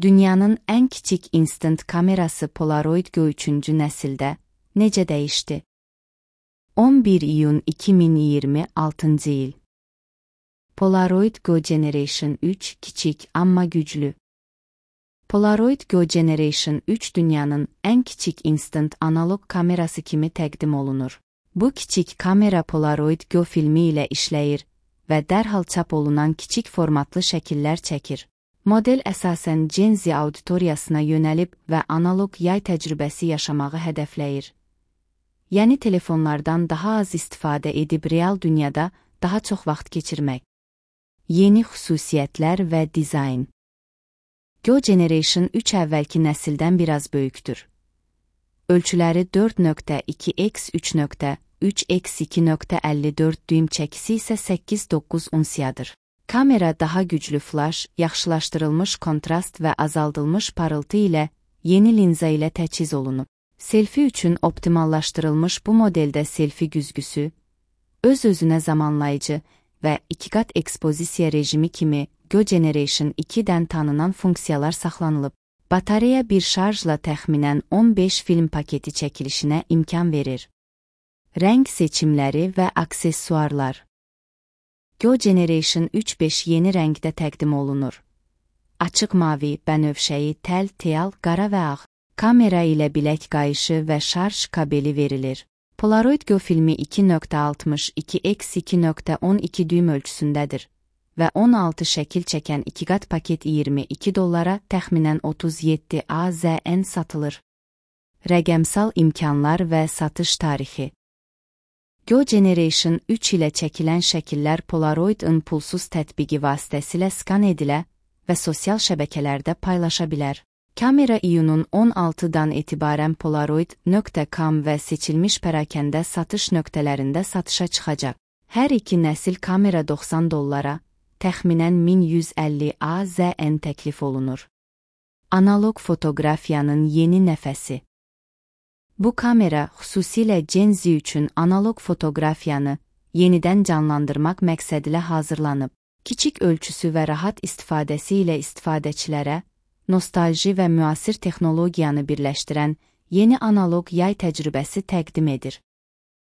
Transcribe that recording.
Dünyanın ən kiçik instant kamerası Polaroid Go 3-cü nəsildə necə dəyişdi? 11 iyun 2026-cı il. Polaroid Go Generation 3 kiçik amma güclü. Polaroid Go Generation 3 dünyanın ən kiçik instant analog kamerası kimi təqdim olunur. Bu kiçik kamera Polaroid Go filmi ilə işləyir və dərhal çap olunan kiçik formatlı şəkillər çəkir. Model əsasən Gen Z auditoriyasına yönəlib və analog yay təcrübəsi yaşamağı hədəfləyir. Yəni telefonlardan daha az istifadə edib real dünyada daha çox vaxt keçirmək. Yeni xüsusiyyətlər və dizayn. Go Generation 3 əvvəlki nəsildən biraz böyükdür. Ölçüləri 4.2x 3.3x 2.54 düym çəkisi isə 8-9 unsiyadır. Kamera daha güclü flash, yaxşılaşdırılmış kontrast və azaldılmış parıltı ilə yeni linza ilə təchiz olunub. Selfie üçün optimallaşdırılmış bu modeldə selfie güzgüsü, öz-özünə zamanlayıcı və 2-qat ekspozisiya rejimi kimi Go Generation 2-dən tanınan funksiyalar saxlanılıb. Batareya bir şarjla təxminən 15 film paketi çəkilişinə imkan verir. Rəng seçimləri və aksesuarlar. Go Generation 3.5 yeni rəngdə təqdim olunur. Açıq mavi, bənövşəyi, təl, teal, qara və ağ. Kamera ilə bilək qayışı və şarj kabeli verilir. Polaroid Go filmi 2.62x 2.12 düym ölçüsündədir və 16 şəkil çəkən 2-qat paket $22 təxminən 37 AZN satılır. Rəqəmsal imkanlar və satış tarixi. Go Generation 3 ilə çəkilən şəkillər Polaroid-ın pulsuz tətbiqi vasitəsilə skan edilə və sosial şəbəkələrdə paylaşa bilər. Kamera iyunun 16-dan etibarən Polaroid.com və seçilmiş pərakəndə satış nöqtələrində satışa çıxacaq. Hər iki nəsil kamera $90, təxminən 1150 AZN təklif olunur. Analog fotoqrafiyanın yeni nəfəsi. Bu kamera xüsusilə Gen Z üçün analog fotoqrafiyanı yenidən canlandırmaq məqsədilə hazırlanıb. Kiçik ölçüsü və rahat istifadəsi ilə istifadəçilərə nostalji və müasir texnologiyanı birləşdirən yeni analog yay təcrübəsi təqdim edir.